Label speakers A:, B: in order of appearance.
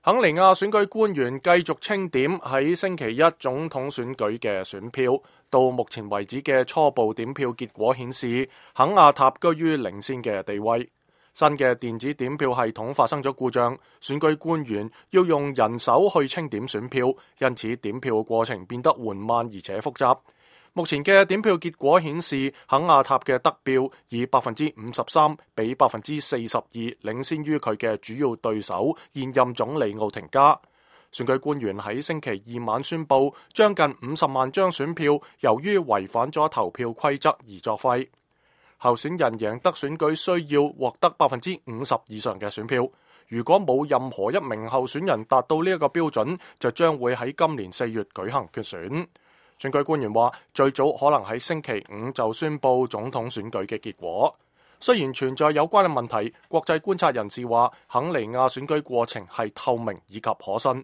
A: 肯尼亞選舉官員繼續清點喺星期一總統選舉嘅選票，到目前為止嘅初步點票結果顯示，肯亞塔居於領先嘅地位。新嘅電子點票系統發生咗故障，選舉官員要用人手去清點選票，因此點票過程變得緩慢而且複雜。目前嘅點票結果顯示，肯亞塔嘅得票以53%比42%領先於佢嘅主要對手現任總理奧廷加。選舉官員喺星期二晚宣布，將近50萬張選票由於違反咗投票規則而作廢。候選人贏得選舉需要獲得50%以上嘅選票，如果冇任何一名候選人達到呢一個標準，就將會喺今年4月舉行決選。選舉官員話，最早可能喺星期5就宣布總統選舉嘅結果。雖然存在有關嘅問題，國際觀察人士話，肯尼亞選舉過程係透明以及可信。